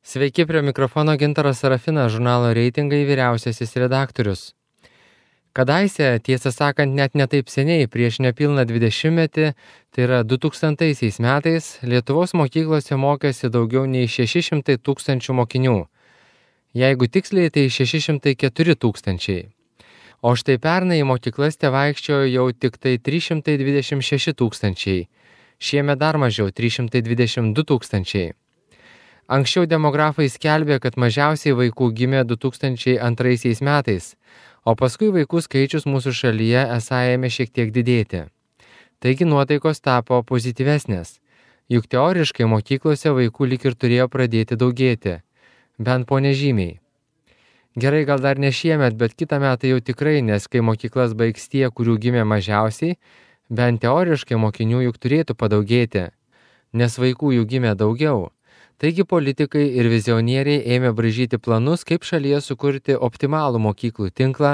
Sveiki, prie mikrofono Gintaras Sarafinas, žurnalo Reitingai vyriausiasis redaktorius. Kadaise, tiesą sakant, net netaip seniai, prieš nepilną 20-metį, tai yra 2000 metais, Lietuvos mokyklose mokėsi daugiau nei 600 tūkstančių mokinių. Jeigu tiksliai, tai 604 tūkstančiai. O štai pernai į mokyklas tevaikščiojo jau tik tai 326 tūkstančiai. Šiemet dar mažiau, 322 tūkstančiai. Anksčiau demografai skelbė, kad mažiausiai vaikų gimė 2002 metais, o paskui vaikų skaičius mūsų šalyje esą ėmė šiek tiek didėti. Taigi nuotaikos tapo pozityvesnės, juk teoriškai mokyklose vaikų lyg ir turėjo pradėti daugėti, bent po nežymiai. Gerai, gal dar ne šiemet, bet kitą metą jau tikrai, nes kai mokyklas baigs tie, kurių gimė mažiausiai, bent teoriškai mokinių juk turėtų padaugėti, nes vaikų jų gimė daugiau. Taigi politikai ir vizionieriai ėmė braižyti planus, kaip šalyje sukurti optimalų mokyklų tinklą,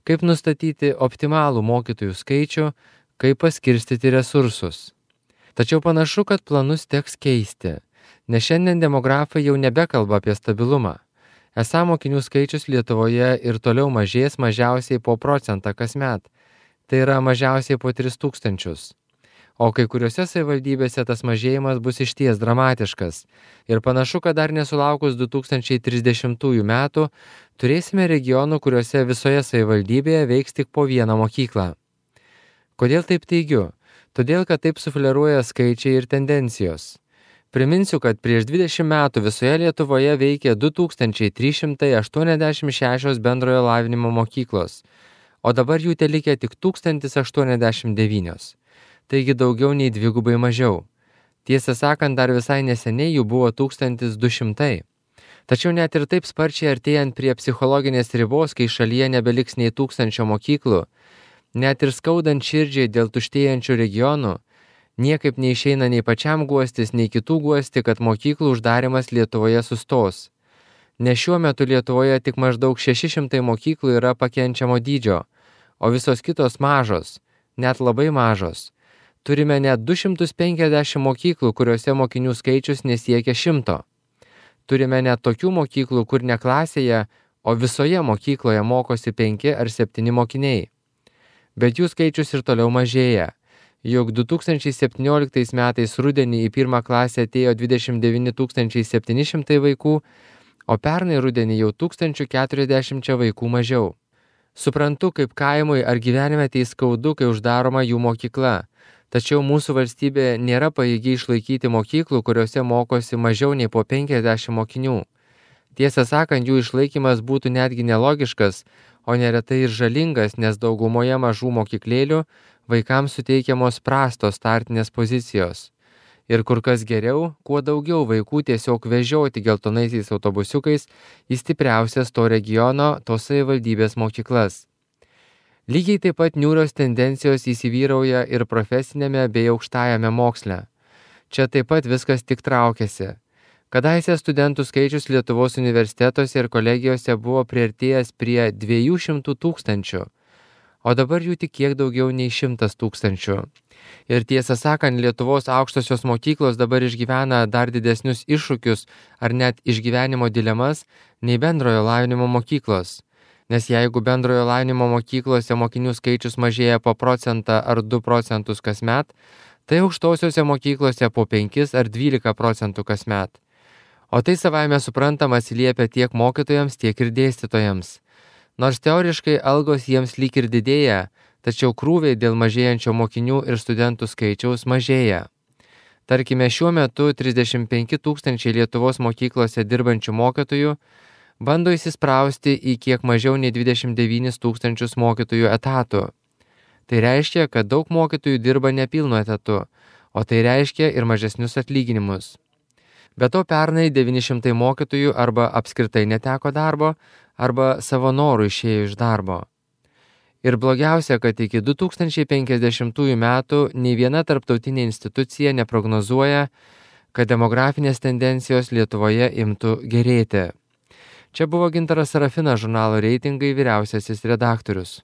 kaip nustatyti optimalų mokytojų skaičių, kaip paskirstyti resursus. Tačiau panašu, kad planus teks keisti, nes šiandien demografai jau nebekalba apie stabilumą. Esą mokinių skaičius Lietuvoje ir toliau mažės mažiausiai po procentą kasmet, tai yra mažiausiai po 3000. O kai kuriuose savivaldybėse tas mažėjimas bus išties dramatiškas ir panašu, kad dar nesulaukus 2030 metų turėsime regionų, kuriuose visoje savivaldybėje veiks tik po vieną mokyklą. Kodėl taip teigiu? Todėl, kad taip sufleruoja skaičiai ir tendencijos. Priminsiu, kad prieš 20 metų visoje Lietuvoje veikė 2386 bendrojo lavinimo mokyklos, o dabar jų telikė tik 1089. Taigi daugiau nei dvigubai mažiau. Tiesą sakant, dar visai neseniai jų buvo 1200. Tačiau net ir taip sparčiai artėjant prie psichologinės ribos, kai šalyje nebeliks nei 1000 mokyklų, net ir skaudant širdžiai dėl tuštėjančių regionų, niekaip neišeina nei pačiam guostis, nei kitų guosti, kad mokyklų uždarimas Lietuvoje sustos. Nes šiuo metu Lietuvoje tik maždaug 600 mokyklų yra pakenčiamo dydžio, o visos kitos mažos, net labai mažos. Turime net 250 mokyklų, kuriuose mokinių skaičius nesiekia 100. Turime net tokių mokyklų, kur ne klasėje, o visoje mokykloje mokosi 5 ar 7 mokiniai. Bet jų skaičius ir toliau mažėja. Juk 2017 metais rudenį į pirmą klasę atėjo 29 700 vaikų, o pernai rudenį jau 1040 vaikų mažiau. Suprantu, kaip kaimui ar gyvenime tai skaudu, kai uždaroma jų mokykla. Tačiau mūsų valstybė nėra pajėgi išlaikyti mokyklų, kuriuose mokosi mažiau nei po 50 mokinių. Tiesą sakant, jų išlaikymas būtų netgi nelogiškas, o neretai ir žalingas, nes daugumoje mažų mokyklėlių vaikams suteikiamos prastos startinės pozicijos. Ir kur kas geriau, kuo daugiau vaikų tiesiog vežioti geltonaisiais autobusiukais į stipriausias to regiono, tos savivaldybės mokyklas. Lygiai taip pat niūrios tendencijos įsivyrauja ir profesinėme bei aukštajame moksle. Čia taip pat viskas tik traukiasi. Kadaise studentų skaičius Lietuvos universitetuose ir kolegijose buvo priartėjęs prie 200 tūkstančių, o dabar jų tik kiek daugiau nei 100 tūkstančių. Ir tiesą sakant, Lietuvos aukštosios mokyklos dabar išgyvena dar didesnius iššūkius ar net išgyvenimo dilemas nei bendrojo lavinimo mokyklos. Nes jeigu bendrojo lavinimo mokyklose mokinių skaičius mažėja po 1% ar 2% kasmet, tai aukštosiose mokyklose po 5 ar 12% kasmet. O tai savaime suprantama atsiliepia tiek mokytojams, tiek ir dėstytojams. Nors teoriškai algos jiems lyg ir didėja, tačiau krūviai dėl mažėjančio mokinių ir studentų skaičiaus mažėja. Tarkime, šiuo metu 35 tūkstančiai Lietuvos mokyklose dirbančių mokytojų bando įsisprausti į kiek mažiau nei 29 tūkstančius mokytojų etatų. Tai reiškia, kad daug mokytojų dirba nepilnu etatu, o tai reiškia ir mažesnius atlyginimus. Be to pernai 900 mokytojų arba apskritai neteko darbo, arba savo norų išėjo iš darbo. Ir blogiausia, kad iki 2050 metų nei viena tarptautinė institucija neprognozuoja, kad demografinės tendencijos Lietuvoje imtų gerėti. Čia buvo Gintaras Sarafinas, žurnalo Reitingai vyriausiasis redaktorius.